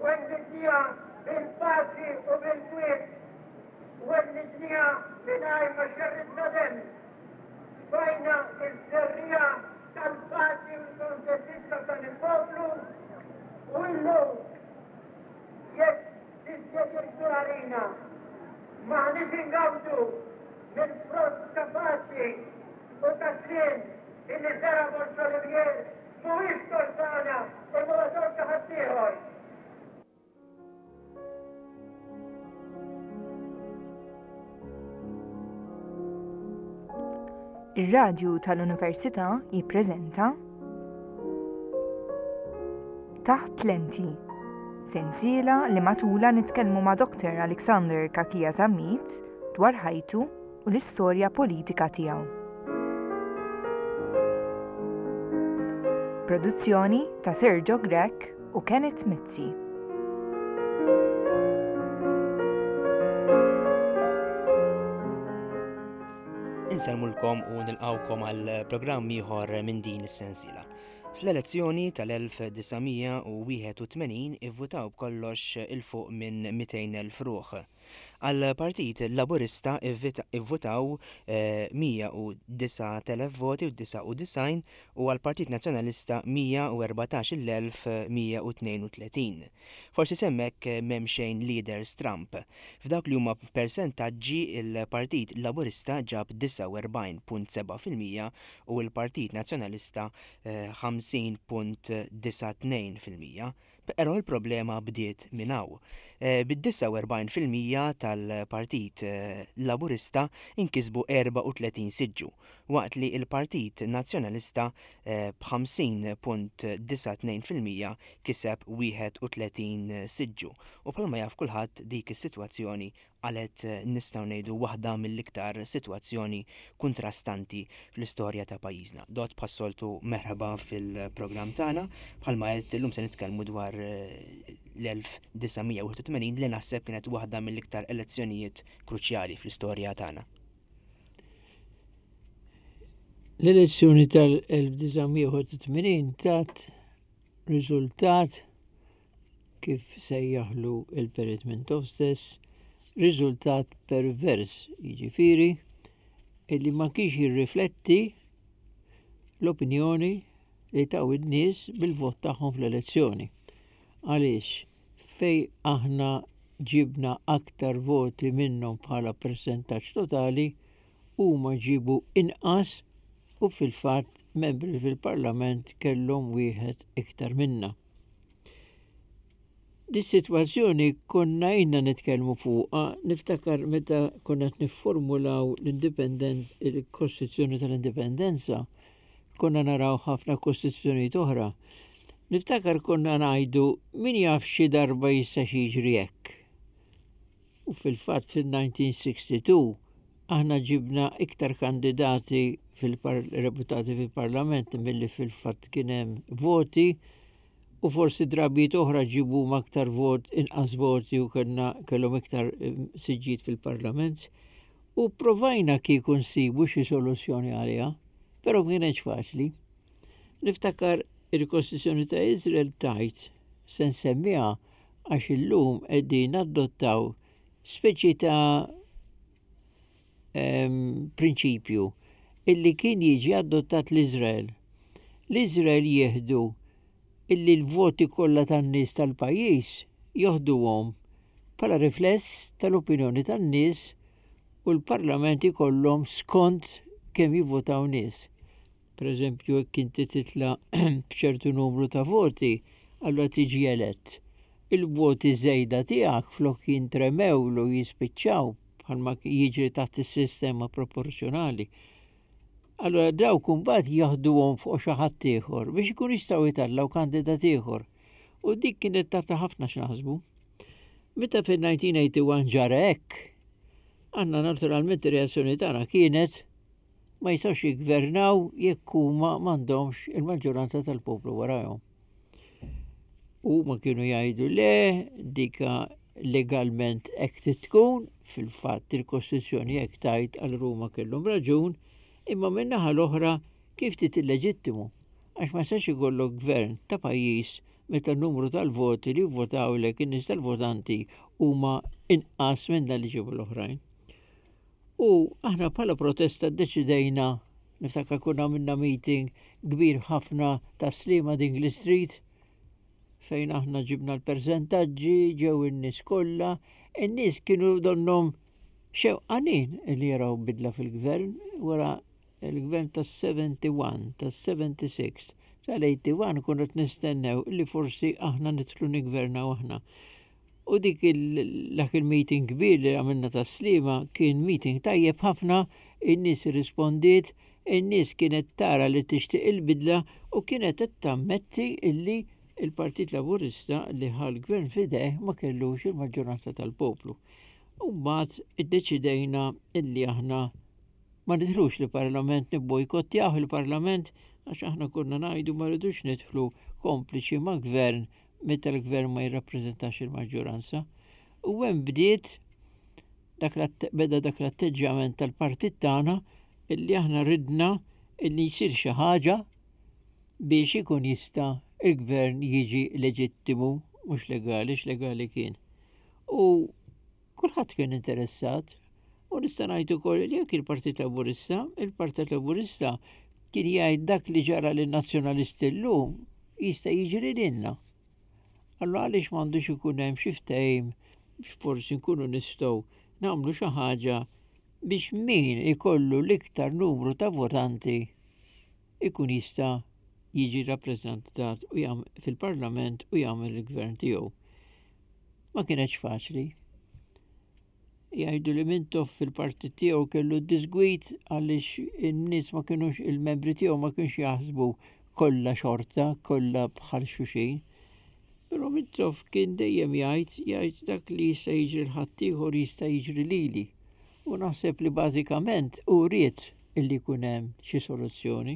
Wellidniha bil-paċi u bil-kwiet. Wellidniha mingħajr ma xerridna demm. Tfajna ż-żerriegħa tal-paċi u l-kuntentizza f'dan il-poplu u illum jekk dispjaċir kbir għalina m'aħniex ingawdu mill-frott ta' paċi u ta' sliem illi żera' Borg Olivier mhuwiex tort tagħna imma huwa tort ta' ħaddieħor. Ir-Radju tal-Università jippreżenta Taħt Lenti, sensiela li matula nitkellmu ma' Dr. Alexander Kakia Zammit dwar ħajtu u l-istorja politika tiegħu. Produzzjoni ta' Sergio Grech u Kenneth Mizzi. Insellmulkom u nilqawkom għal programm ieħor minn din is-sensiela. Fl-elezzjoni tal-1981 ivvutaw b'kollox 'il fuq minn 200,000 ruħ. Għall-Partit Laburista ivvutaw 109,000 voti u 99 u għall-Partit Nazzjonalista 114,132. Forsi s'hemmhekk m'hemm xejn li jidher stramb. F'dawk li huma persentaġġi il-Partit Laburista ġab 49.7% u l-Partit Nazzjonalista 50.92%. Però l-problema bdiet minn hawn. Bid-49 fil-mija tal-Partit Laburista nkisbu 34 siġġu, waqt li l-Partit Nazzjonalista b'50.92 fil-mija kiseb 31 siġġu. U bħalma jaf kulħadd dik is-sitwazzjoni qalgħet nistgħu ngħidu waħda mill-iktar sitwazzjoni kuntrastanti fl-istorja ta' pajjiżna. Dott bħas-soltu merħba fil-programm tagħna. Bħalma għedt illum se nitkellmu dwar l-1981 li naħseb kienet waħda mill-iktar elezzjonijiet kruċjali fl-istorja tagħna. L-elezzjoni tal-1981 tat riżultat kif sejjaħlu il-Perit Mintoff stess, riżultat pervers, jiġifieri illi ma kienx jirrifletti l-opinjoni li taw in-nies bil-vot tagħhom fl-elezzjoni. Għaliex fej aħna ġibna aktar voti minnhom bħala persentaġġ totali, huma ġibu inqas u fil-fatt membri fil-Parlament kellhom wieħed iktar minna. Dis-sitwazzjoni konna ilna nitkellmu fuqha, niftakar meta konna qed nifformulaw l-indipendenza, il-Kostituzzjoni tal-Indipendenza, konna naraw ħafna kostituzzjonijiet oħra. Niftakar konna ngħidu min jaf xi darba jista' xi jiġri hekk. U fil-fatt fil-1962 aħna ġibna iktar kandidati fil-reputati fil-parlament milli fil-fatt kien hemm voti u forsi drabijiet oħra ġibu aktar vot, inqas voti u kellna kellhom iktar eh, siġġijiet fil-parlament. U provajna kieku nsibu xi soluzzjoni għaliha, però ma kienx faċli. Niftakar il-Kostituzzjoni ta' Izrael tajt se nsemmiha għax illum qegħdin adottaw speċi ta' prinċipju illi kien jiġi adottat l-Izrael. L-Izrael jieħdu illi l-voti kollha tan-nies tal-pajjiż joħduhom bħala rifless tal-opinjoni tan-nies u l-parlament ikollhom skont kemm jivvotaw nies. Per eżempju, jekk inti titla' b'ċertu numru ta' voti, allura tiġi elett. Il-voti żejda tiegħek flok jintremewlu jispiċċaw bħalma jiġri taħt is-sistema proporzjonali. Allura dawk imbagħad jaħduhom fuq xi ħadd ieħor biex ikun jistgħu jtellgħu kandidat ieħor. U dik kienet tagħti ħafna x'naħsbu. Meta fil-1981 ġara hekk, aħna naturalment ir-reazzjoni tagħna kienet ma jistgħux jiggvernaw jekk huma m'għandhomx il-maġġoranza tal-poplu warajhom. Huma kienu jgħidu le dika legalment hekk trid tkun, fil-fatt il-Kostituzzjoni hekk tgħid għal Ruma kellhom raġun, imma min-naħa l-oħra kif trid illeġittimu għax ma jistax ikollok gvern ta' pajjiż meta n-numru tal-voti li vvotawlek in-nies tal-votanti huma inqas minn dan li ġiebu l-oħrajn. U aħna bħala protesta ddeċidejna, niftakar konna għamilna meeting kbir ħafna ta' Sliema Dingley Street, fejn aħna ġibna l-persentaġġi, ġew in-nies kollha, in-nies kienu donnhom xewqanin li jaraw bidla fil-gvern wara il-gvern tas-71, tas-76, tal-81 konna qed nistennew li forsi aħna nidħlu niggvernaw aħna. U dik dak il-meeting kbir li għamilna tas-Sliema kien meeting tajjeb ħafna, in-nies irrispondiet, in-nies kienet tara li tixtieq il-bidla u kienet qed tammetti illi il-Partit Laburista li ħa l-gvern f'idejh ma kellux il-maġġoranza tal-poplu. U mbagħad iddeċidejna illi aħna ma nidħlux l-Parlament, nibbojkottjaw il-Parlament għax aħna konna ngħidu ma rridux nidħlu kompliċi ma' gvern meta l-gvern ma jirrappreżentax il-maġġoranza. U hemm bdiet dak beda dak l-atteġġjament tal-partit tagħna illi aħna ridna illi jsir xi ħaġa biex ikun jista' il-gvern jiġi leġittimu, mhux legali, x'legali kien. U kulħadd kien interessat u nista' ngħid ukoll li jekk il-Partit Laburista, il-Partit Laburista kien jgħid dak li ġara lin-Nazzjonalisti llum jista' jiġri lilna. Allura għaliex m'għandux ikun hemm xi ftehim biex forsi nkunu nistgħu nagħmlu xi ħaġa biex min ikollu l-iktar numru ta' votanti ikun jista' jiġi rappreżentat fil-Parlament u jagħmel il-gvern tiegħu. Ma kienetx faċli. Jgħidu li Mintoff fil-partit tiegħu kellu disgwid għaliex in-nies ma kinux il-membri tiegħu ma kienx jaħsbu kollha xorta, kollha bħal xulxin. Però Mintoff kien dejjem jgħid jgħid dak li jista' jiġri l-ħaddieħor jista' jiġri lili. U naħseb li bażikament hu ried illi jkun hemm xi soluzzjoni.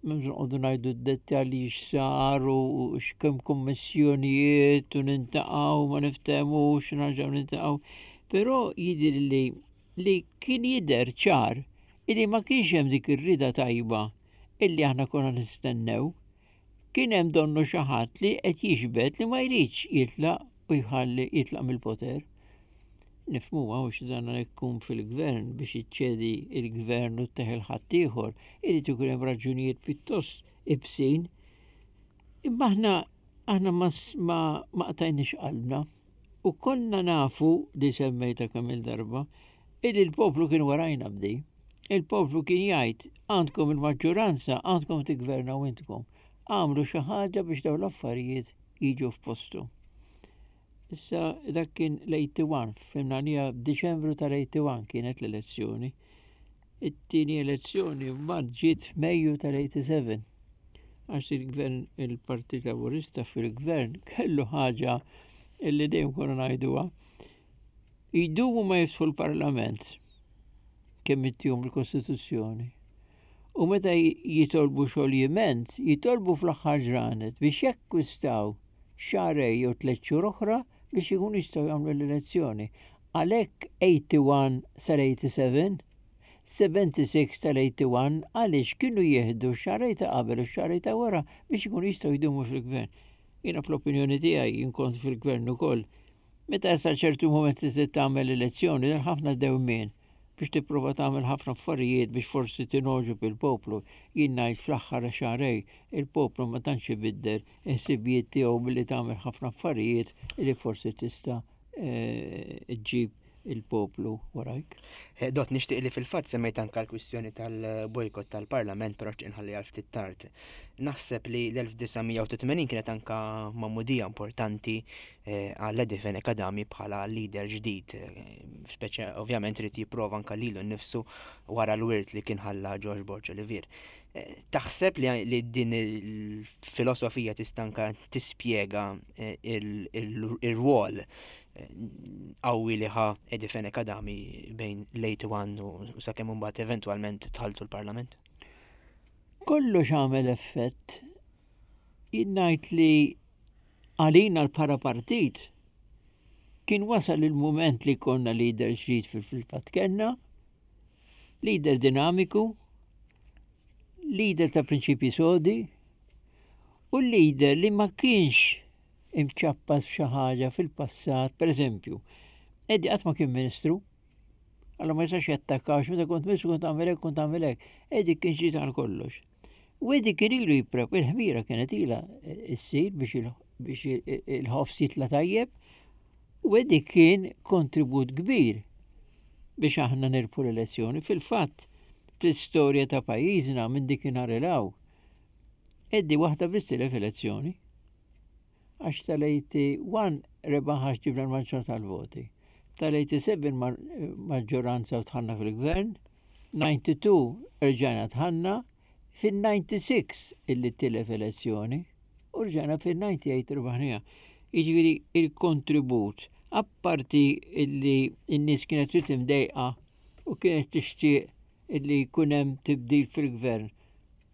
M'hemmx noqogħdu ngħidu d-dettalji x'sar u x'kemm kummissjonijiet u nintaqgħu ma niftehmux nerġgħu nintaqgħu. Però jidhirli li kien jidher ċar illi ma kienx hemm dik ir-rieda tajba illi aħna konna nistennew. Kien hemm donnu xi ħadd li qed jiġbed li ma jridx jitlaq u jħalli jitlaq mill-poter. Nifhmuha hux dan jkun fil-gvern biex iċċedi il-gvern u tteħel ħaddieħor, irid ikun hemm raġunijiet pjuttost ibsin. Imma aħna aħna ma ma qtajniex qalbna u konna nafu li semmejta kemm il-darba illi l-poplu kien warajna b'di. Il-poplu kien jgħid għandkom il-maġġoranza, għandkom tiggvernaw intkom. Għamlu xi ħaġa biex dawn l-affarijiet jiġu f'postu. Issa dak kien l-81, fimna li Diċembru tal-81 kienet l-elezzjoni. It-tieni elezzjoni mbagħad ġiet f'Mejju tal-87. Għax il-gvern il-Partit Laburista fil-gvern kellu ħaġa illi dejjem konna ngħiduha. Jdumu ma jiftħu l-Parlament kemm ittihom il-Kostituzzjoni. U meta jitolbu xoljiment, jitolbu fl-aħħar ġranet biex jakkwistaw xahrejn jew tlett xhur oħra biex ikunu jistgħu jagħmlu l-elezzjoni. Għalhekk 81 sal-87, 76 tal-81 għaliex kienu jieħdu x-xahrejn ta' qabel u x-xahrejn ta' wara biex ikunu jistgħu jdumu fil-gvern. Jiena fl-opinjoni tiegħi jien kont fil-gvern ukoll. Meta jasal ċertu mument li trid tagħmel elezzjoni, hemm ħafna dewmien biex tipprova tagħmel ħafna affarijiet biex forsi tingħoġob il-poplu. Jien ngħid fl-aħħar xahrejn il-poplu ma tantx ibiddel il-ħsibijiet tiegħu billi tagħmel ħafna affarijiet li forsi tista' ġġib il-poplu warajk. Eh, Dott, nixtieq li fil-fatt semmejt anka l-kwistjoni tal-bojkott tal-Parlament, però xtieq nħalli għal ftit tard. Naħseb li l-1980 kienet anka magħmudija importanti eh, għal Eddie Fenech Adami bħala leader ġdid, eh, speċa ovvjament irid jipprova anka lilu nnifsu wara l-wirt li kien ħalla George Borg Olivier. Eh, taħseb li din il-filosofija tista' anka tispjega il-rwol qawwi li ħa Eddie Fenech Adami bejn l-81 u sakemm imbagħad eventwalment dħaltu l-Parlament? Kollox għamel effett. Jien ngħid li għalina l-bħala partit kien wasal il-mument li konna leader ġdid fil-fatt kellna, leader dinamiku, leader ta' prinċipji sodi, u U leader li ma kienx imċappas f'xi ħaġa fil-passat, per eżempju, Eddie qatt ma kien ministru, Alla ma jistax jattakkax, meta kont ministru kont tagħmel hekk, kont tagħmel hekk. Eddie kien ġdid għal kollox. U Eddie kien ilu jipprep, il-ħmira kienet ilha ssir biex il-ħofs jitla' tajjeb, u Eddie kien kontribut kbir biex aħna nirbħu l-elezzjoni. Fil-fatt, fl-istorja ta' pajjiżna minn dikinhar 'il hawn, Eddie waħda biss tilef elezzjoni. Għax tal-81 rebaħ għax ġibna l-maġġoranza tal-voti. Tal-87 maġġoranza u dħalna fil-gvern, 92 rġajna dħalna, fin-96 illi tilef elezzjoni u rġajna fin-98 rbaħniha. Jiġifieri il-kontribut, apparti illi n-nies kienet trid imdejqa u kienet tixtieq illi jkun hemm tibdil fil-gvern.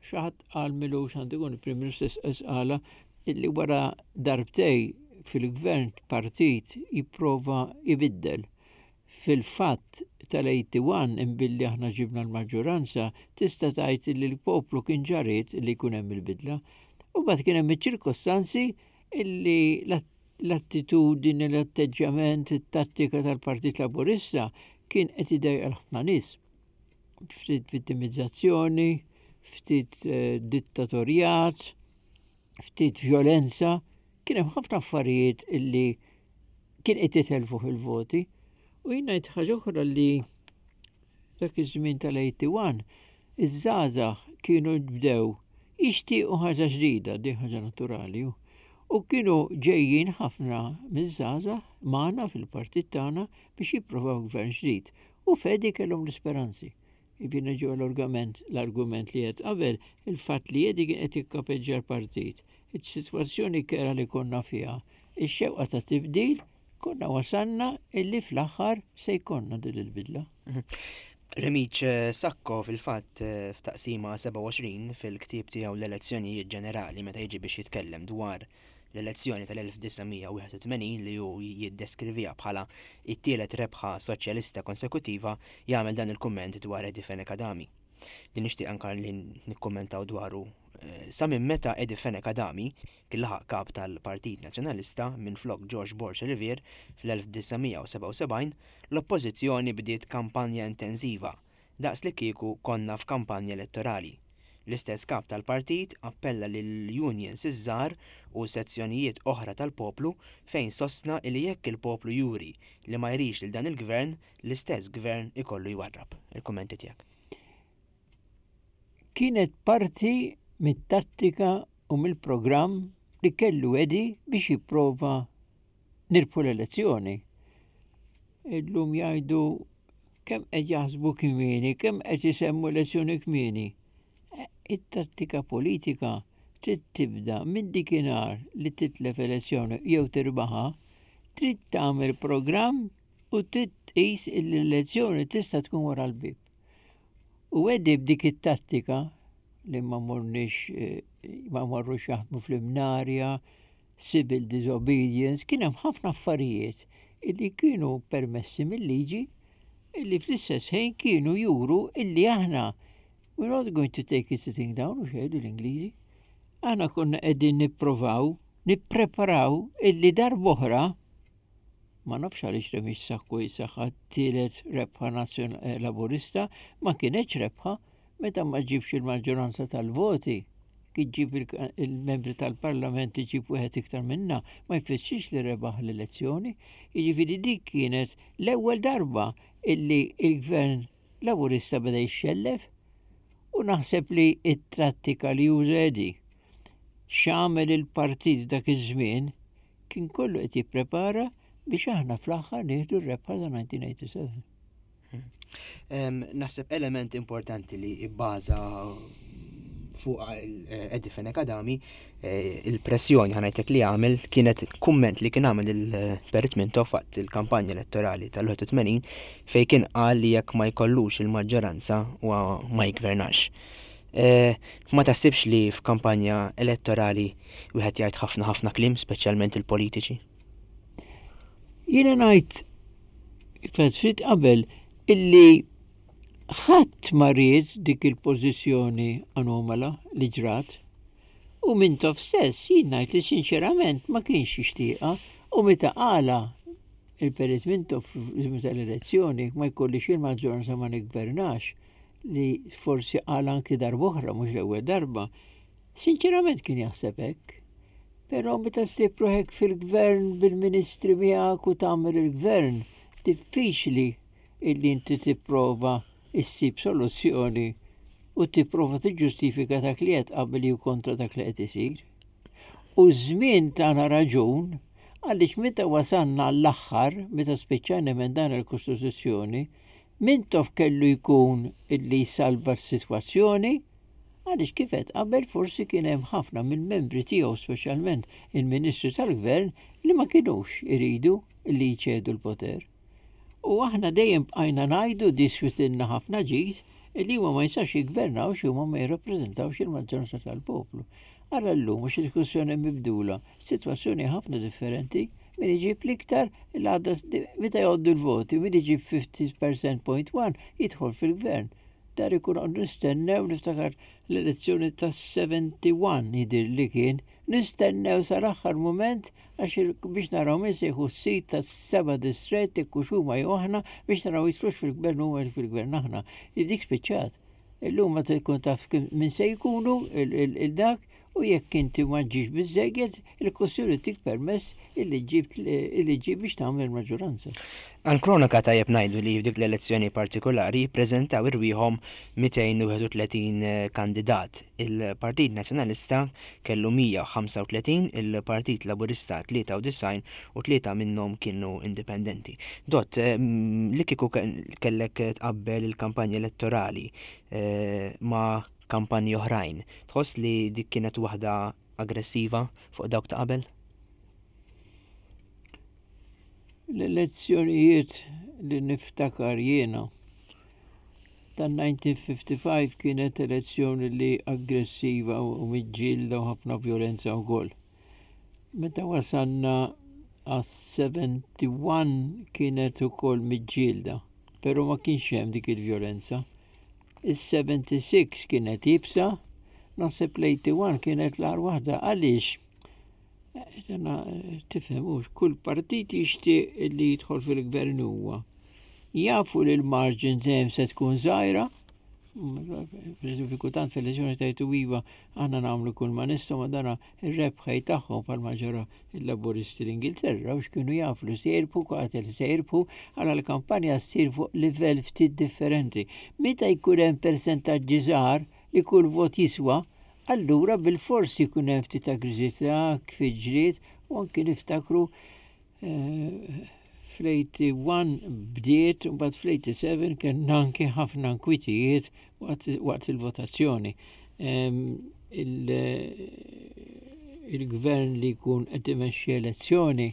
Xi ħadd qal m'ilux għandu jkun il-Prim Ministru stess qalha illi wara darbtej fil-gvern partit jipprova jbiddel. Fil-fatt tal-81 imbilli aħna ġibna l-maġġoranza tista' tgħid illi l-poplu kien ġa ried illi jkun hemm il-bidla. U mbagħad kien hemm iċ-ċirkostanzi illi l-attitudini, l-atteġġjament, it-tattika tal-Partit Laburista kien qed idejjaq ħafna nies. Ftit vittimizzazzjoni, ftit eh, dittatorjat, ftit violenza, kien hemm ħafna affarijiet illi kien qed jitelfu fil-voti. U jien ngħid ħaġa oħra li dak iż-żmien tal-81 iż-żgħażagħ kienu bdew jixtiequ ħaġa ġdida, di ħaġa naturali. U kienu ġejjin ħafna miż-żgħażagħ magħna fil-partit tagħna biex jipprovaw gvern ġdid. U f'Eddie kellhom l-isperanzi. Jiġifieri nerġgħu għall-argument, l-argument li għedt qabel, il-fatt li Eddie kien qed jikkapeġġja l-partit, is-sitwazzjoni kerha li konna fiha, ix-xewqa ta' tibdil, konna wasalna illi fl-aħħar se jkollna din il-bidla. Remiġ Sacco fil-fatt f'taqsima 27 fil-ktieb tiegħu L-Elezzjonijiet Ġenerali meta jiġi biex jitkellem dwar l-elezzjoni tal-1981 li hu jiddeskriviha bħala t-tielet rebħa soċjalista konsekutiva jagħmel dan il-kumment dwar Eddie Fenech Adami li nixtieq anka li nikkummentaw dwaru eh, sa minn meta Eddie Fenech Adami kien laħaq kap tal-Partit Nazzjonalista minflok George Borg Olivier fl-1977 l-Oppożizzjoni bdiet kampanja intensiva daqs li kieku konna f'kampanja elettorali. L-istess kap tal-partit appella lill-unions iż-żgħar u sezzjonijiet oħra tal-poplu fejn sostna li jekk il-poplu juri li ma jridx lil dan il-Gvern, l-istess Gvern ikollu jwarrab. Il-kummenti tiegħek. Kienet parti mit-tattika u mill-programm li kellu Eddie biex jipprova nirbħu l-elezzjoni. Illum jgħidu kemm qed jaħsbu kmieni, kemm qed isemmu elezzjoni kmieni. E, it-tattika politika trid tibda minn dikinhar li titlef elezzjoni jew tirbaħa, trid tagħmel programm u trid tqis l-elezzjoni tista' tkun wara l-bib. U Eddie b'dik it-tattika li ma morniex eh, ma morrux jaħdmu fl-imnarja, civil disobedience, kien hemm ħafna affarijiet illi kienu permessi mill-liġi illi fl-istess ħin kienu juru illi aħna we're not going to take it sitting down u xejdu l-Ingliżi. Aħna konna qegħdin nipprovaw, nippreparaw illi darb'oħra ma nafx għaliex Remix Sakku jisaħħa tielet rebħa eh, laburista ma kienx rebħa Meta ma ġġibx il-maġġoranza tal-voti, kif ġġib il-membri tal-Parlament iġib wieħed iktar minna, ma jfissirx li rebaħ l-elezzjoni. Jiġifieri dik kienet l-ewwel darba illi il-Gvern Laburista beda jixxellef u naħseb li t-trattika li uża Eddie x'għamel il-partit dak iż-żmien kien kollu qed jipprepara biex aħna fl-aħħar nieħdu r-rebħa ta' 1987. Naħseb element importanti li bbaża fuq eh, Eddie Fenech Adami eh, il-pressjoni ħanajtek li għamel kienet kumment li kien għamel il-Perit Mintoff waqt il-kampanja elettorali tal-81 fej kien qal li jekk ma jkollux il-maġġoranza u ma jgvernax. Eh, ma taħsibx li f'kampanja elettorali wieħed jgħid ħafna ħafna kliem, speċjalment il-politiċi? Jiena ngħid ftit qabel illi ħadd ma ried dik il-pożizzjoni anomala li ġrat. U Mintoff stess jien ngħid li sinċerament ma kienx jixtieqha u meta qalha il-Perit Mintoff meta l-elezzjoni ma jkollix il-maġġoranza ma niggvernax li forsi qal anki darb'oħra mhux l-ewwel darba, sinċerament kien jaħseb hekk. Però meta ssib ruħek fil-gvern bil-ministri miegħek u tagħmel il-gvern, diffiċli illi inti tipprova issib soluzzjoni u tipprova tiġġustifika dak li qed qabel jew kontra dak li qed isir. U ż-żmien tana raġun għaliex meta wasalna l-aħħar, meta spiċċajna emendana l-Kostituzzjoni, Mintoff kellu jkun illi jsalva s-sitwazzjoni għaliex kif għedt qabel forsi kien hemm ħafna mill-membri tiegħu speċjalment il-Ministri tal-Gvern li ma kinux iridu li jċedu l-poter. U aħna dejjem bqajna ngħidu diswitilna ħafna ġid li huma ma jistax jiggvernawx huma ma jirrappreżentawx il-maġġoranza tal-poplu. Ara llum għax il-kwistjoni mibdula, sitwazzjoni ħafna differenti, min iġib l-iktar l-għadda meta jgħoddu l-voti, min iġib 50% jidħol fil-gvern. Dar ikun għandu nistennew niftakar l-elezzjoni ta' 71 jidir li kien, nistennew sal-aħħar mument għax biex naraw min se jieħu s-sit ta' seba' distrett jekk hux huma jew aħna biex naraw jidħlux fil-gvern huma jew fil-gvern aħna. Dik spiċċat. Illum ma tkun taf min se jkunu il-dak u jekk inti ma ġġibx biżżejjed, il-Kussjoni tik permess illi ġġib illi ġġib biex tagħmel maġġoranza. Għall-kronaka tajjeb ngħidu li f'dik l-elezzjoni partikolari ppreżentaw irwieħhom 231 kandidat. Il-Partit Nazzjonalista kellu 135, il-Partit Laburista 93 u tlieta minnhom kienu indipendenti. Dott, li kieku kellek tqabbel il-kampanja elettorali ma' kampanji oħrajn, tħoss li dik kienet waħda aggressiva fuq dawk ta' qabel? L-elezzjonijiet li niftakar jiena tan-1955 kienet elezzjoni li aggressiva u miġġielda u ħafna vjolenza wkoll. Meta wasalna għas-71 kienet ukoll miġġielda, però ma kienx hemm dik il-vjolenza. Is-76 kienet iebsa, naħseb l-81 kienet l-agħar waħda. Għaliex? Tifhem hux, kull partit jixtieq li jidħol fil-gvern huwa. Jafu li l-margin dejjem se tkun żgħira, per kultant fil-elezzjoni tajtu iva aħna nagħmlu kull ma nistgħu ma dana ir-rebħej tagħhom bħalma ġara il-Laburisti l-Ingilterra u x'kienu jafu li se jirbħu qatel se jirbħu għala l-kampanja ssir fuq livell ftit differenti. Meta jkun hemm persentaġġi żgħar li kull vot jiswa, allura bilfors jkun hemm ftit aggressività, kfiġriet u anki niftakru eh, fl-81 bdiet u mbagħad fl-87 kellna anki ħafna nkwitijiet waqt il-votazzjoni. Il-gvern li jkun qed imexxi elezzjoni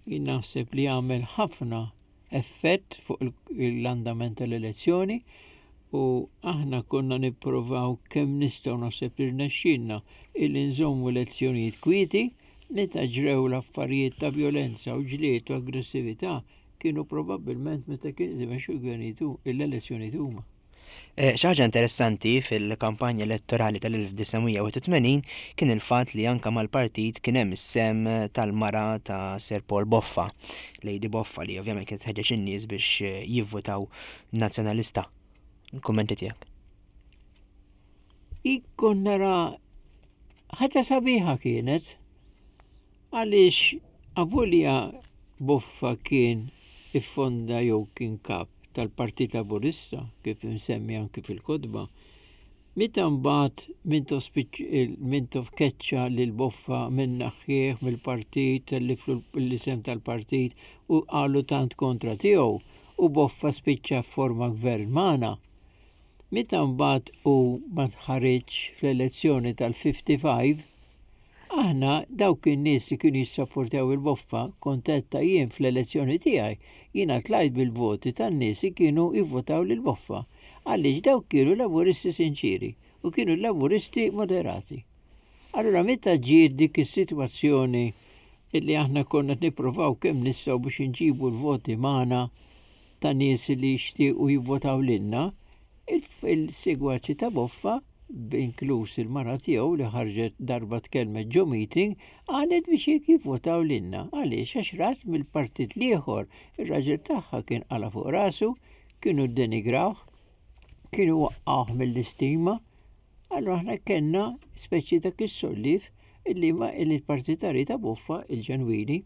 jien naħseb li jagħmel ħafna effett fuq l-andament tal-elezzjoni u aħna konna nipprovaw kemm nistgħu naħseb li rnexxielna illi nżommu elezzjonijiet kwieti meta ġrew l-affarijiet ta' vjolenza u ġlied u aggressività kienu probabbilment meta kien imexxu l-gvernijiet l-elezzjonijiet huma. Eh, xi ħaġa interessanti fil-kampanja elettorali tal-1981 kien il-fatt li anka mal-partit kien hemm is-sem tal-mara ta' Sir Paul Boffa, Lady Boffa li ovvjament kienet tħeġġeġ in-nies biex eh, jivvutaw nazzjonalista. Il-kummenti tiegħek. Ikkun nara ħaġa sabiħa kienet Għaliex avolja Boffa kien iffonda jew kien kap tal-Partit Laburista, kif imsemmi anki fil-kotba, meta mbagħad Mintoff Mintoff keċċa lil Boffa minn naħħieħ mill-partit, telliflu l-isem tal-partit u qalu tant kontra tiegħu u Boffa spiċċa fforma gvern magħna. Meta mbagħad hu ma ħariġx fl-elezzjoni tal-55, Aħna, dawk in-nies li kienu jissapportjaw il-Boffa, kont għedtha jien fl-elezzjoni tiegħi, jiena tlajt bil-voti tan-nies li kienu jivvotaw lill-Boffa, għaliex dawk kienu Laburisti sinċieri u kienu Laburisti moderati. Allura meta ġiet dik is-sitwazzjoni illi aħna konna qed nipprovaw kemm nistgħu biex inġibu l-voti magħna ta' nies li jixtiequ jivvotaw lilna, il-segwaċi ta' Boffa. inkluż il-mara tiegħu li ħarġet darba tkellmet ġo meeting, qalet biex jekk jivvotaw lilna. Għaliex? Għax rat mill-partit l-ieħor, ir-raġel tagħha kien qala fuq rasu, kienu ddenigrawh, kienu waqqgħuh mill-istima. Allura aħna kellna speċi dak is-solliev illi ma illi l-partitarji ta' Boffa il-ġenwini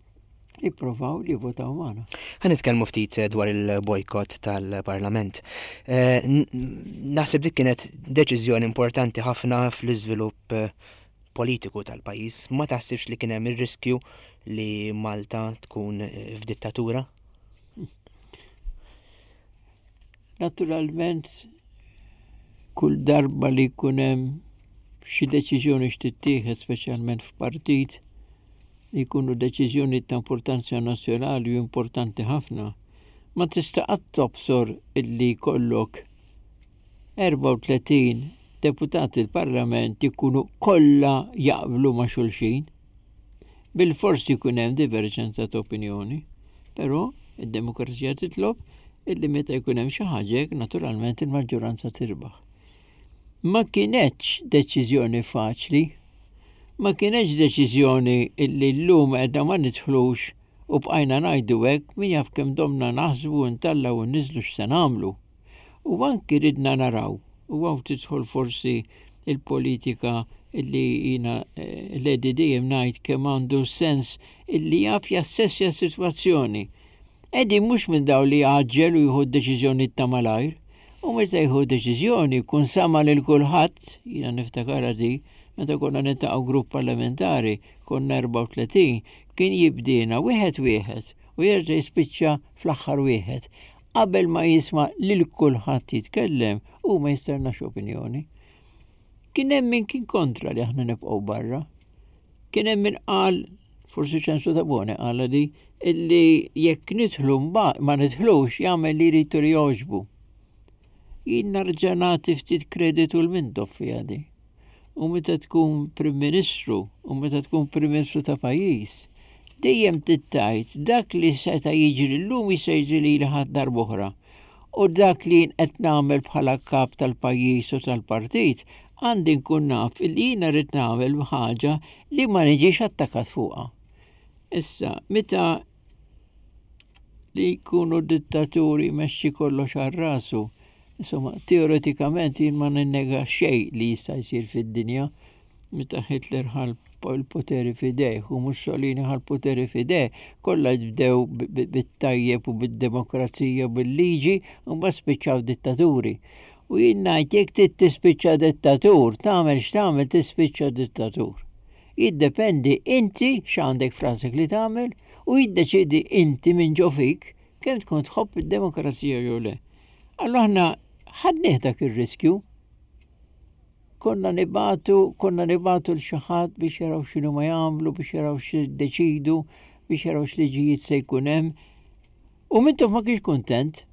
ipprovaw li votaw magħna. Ħa nitkellmu ftit eh, dwar il-bojkott tal-Parlament. Eh, naħseb dik kienet deċiżjoni importanti ħafna fl-iżvilupp eh, politiku tal-pajjiż. Ma taħsibx li kien hemm ir-riskju li Malta tkun f'dittatura? Naturalment, kull darba li jkun hemm xi deċiżjoni x'tittieħed speċjalment f'partit li jkunu deċiżjoni ta' importanza nazzjonali u importanti ħafna, ma tista' qatt tobsor illi jkollok 34 deputati l-Parlament ikunu kollha jaqblu ma' xulxin. Bilfors jkun hemm diverġenza ta' opinjoni, però id-demokrazija titlob illi meta jkun hemm xi ħaġa hekk naturalment il-maġġoranza tirbaħ. Ma kinetx deċiżjoni faċli, ma kinetx deċiżjoni illi llum għedna ma nidħlux u bqajna ngħidu hekk min jaf kemm domna naħsbu ntellgħu u nniżlu x'se nagħmlu. U anki ridna naraw, u hawn tidħol forsi il-politika illi jiena eh, l-Edi dejjem ngħid kemm għandu sens illi jaf jassessja s-sitwazzjoni. Edi mhux minn dawn li jgħaġġel u jieħu d-deċiżjonijiet ta' malajr. U meta jieħu deċiżjoni jkun sama lil kulħadd, jiena niftakarha di, meta konna niltaqgħu grupp parlamentari, konna 34, kien jibdiena wieħed wieħed u jerġa' jispiċċa fl-aħħar wieħed. Qabel ma jisma' lil kulħadd jitkellem, hu ma jistennax opinjoni. Kien hemm min kien kontra li aħna nibqgħu barra. Kien hemm min qal, forsi Ċensu Tabone qala di, illi jekk nidħlu ma nidħlux jagħmel li jrid li jogħġbu. Jien narġa' nagħti ftit kreditu l Mintoff fiha di. U meta tkun Prim Ministru u meta tkun Prim Ministru ta' pajjiż, dejjem trid tgħid dak li seta' jiġri llum jista' jiġri lili ħadd darb'oħra. U dak li jien qed nagħmel bħala kap tal-pajjiż u tal-partit għandi nkun naf illi jiena rrid nagħmel ħaġa li ma niġix attakat fuqha. Issa, meta li jkunu dittaturi jmexxi kollox għal rasu, insomma, teoretikament jien ma ninnega xejn li jista' jsir fid-dinja meta Hitler ħa l-poteri f'idejh u Mussolini ħa l-poteri f'idejh, kollha bdew bit-tajjeb u bid-demokrazija u bil-liġi u mbagħad spiċċaw dittaturi. U jien ngħid jekk trid tispiċċa dittatur, tagħmel x'tagħmel tispiċċa dittatur. Jiddependi inti x'għandek f'rasek li tagħmel u jiddeċiedi inti minn ġo fik kemm tkun tħobb id-demokrazija jew le. Allura aħna ħadnieh dak ir-riskju. Konna nibatu, konna nibatu l xi ħadd biex jaraw x'inhu ma jagħmlu, biex jaraw x'iddeċidu, biex jaraw x'liġijiet se jkun hemm. U Mintoff ma kienx kuntent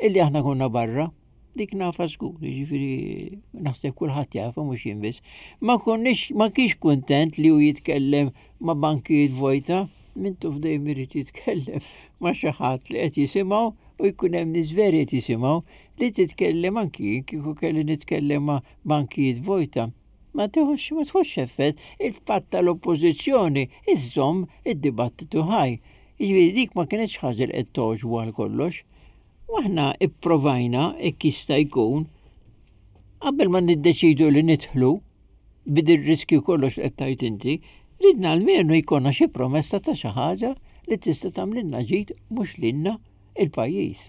illi aħna konna barra. Dik nafa żgur, jiġifieri naħseb kulħadd jafha mhux jien biss. Ma konniex ma kienx kuntent li hu jitkellem ma' bankijiet vojta, Mintoff dejjem irid jitkellem ma' xi ħadd li qed jisimgħu u jkun hemm nies veri qed jisimgħu li titkellem anki jien kieku kelli nitkellem ma' bankijiet vojta. Ma tieħux ma tħossx effett il-fatt tal-oppożizzjoni iżżomm id-dibattitu ħaj. Jiġifieri dik ma kinetx ħaġa li qed togħġbu għal kollox. U aħna ipprovajna hekk jista' jkun qabel ma niddeċidu li nidħlu bid riskju kollox li qed tgħid inti, ridna almenu jkollna xi promessa ta' xi ħaġa li tista' tagħmlilna ġid mhux lilna il-pajjiż.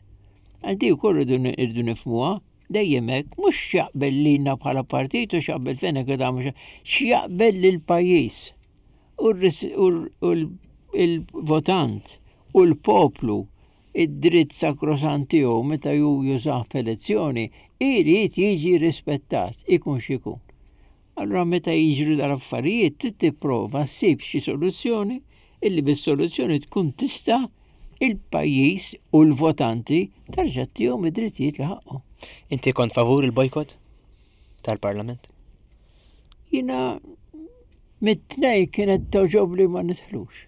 Għal di wkoll irridu nifhmuha dejjem hekk mhux x'jaqbel lilna bħala partit u x'jaqbel Fenech Adami x'jaqbel lill-pajjiż. U l-votant u l-poplu id-dritt sakrosant tiegħu meta hu jużah f'elezzjoni irid jiġi rispettat, ikun x'ikun. Allura meta jiġru dal-affarijiet trid tipprova ssib xi soluzzjoni illi bis-soluzzjoni tkun tista' il-pajjiż u l-votanti tarġa' ttihom id-drittijiet li ħaqqhom. Inti kont favur il-bojkott tal-Parlament? Jiena mit-tnej kienet togħġobli ma nidħlux.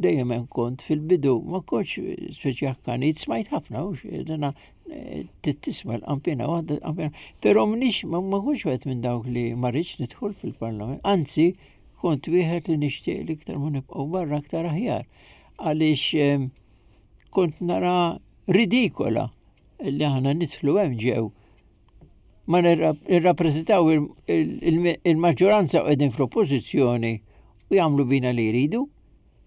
dejjem hemm kont fil-bidu ma kontx speċi akkanit, smajt ħafna hux dana eh, tisma' l-qampina waħda l-qampina, però m'iniex ma kontx wieħed minn dawk li ma rridx nidħol fil-Parlament, anzi kont wieħed li nixtieq li iktar ma nibqgħu barra aktar aħjar għaliex eh, kont nara ridikola li aħna nidħlu hemm ġew ma nirrappreżentaw il-maġġoranza u qegħdin fl-oppożizzjoni u jagħmlu bina li jridu.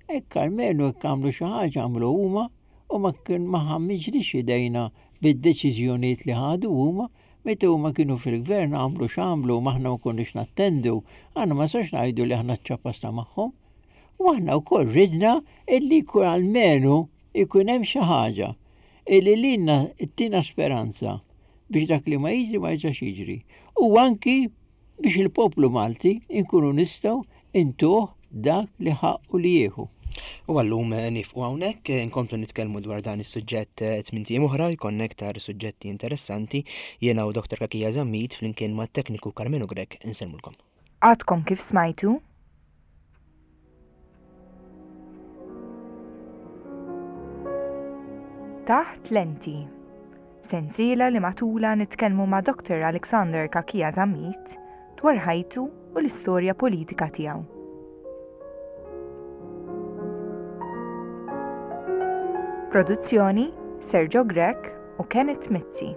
Hekk almenu hekk għamlu xi ħaġa għamlu huma u ma kien ma ħammiġlix idejna bid-deċiżjonijiet li ħadu huma meta huma kienu fil-gvern għamlu x'għamlu ma aħna ma konniex nattendu, aħna ma sax ngħidu li aħna ċċapasna magħhom. U aħna wkoll ridna illi jkun almenu ikun hemm xi ħaġa illi lilna ttina speranza biex dak li ma jiġri ma jerġax jiġri. U anki biex il-poplu Malti nkunu nistgħu intuh dak li ħaqqu li jieħu. U għallum eh, nifqu hawnhekk eh, nkomplu nitkellmu dwar dan is-suġġett eh, tmint ijiem oħra jkollna iktar suġġetti interessanti jiena u Dr. Kakija Zammit flimkien mat-tekniku Karmenu Grech insellmulkom. Għadkom kif smajtu Taħt Lenti. Sensiela li matulha nitkellmu ma' Dr. Alexander Cachia Zammit dwar ħajtu u l-istorja politika tiegħu. Produzzjoni Sergio Grech u Kenneth Mizzi.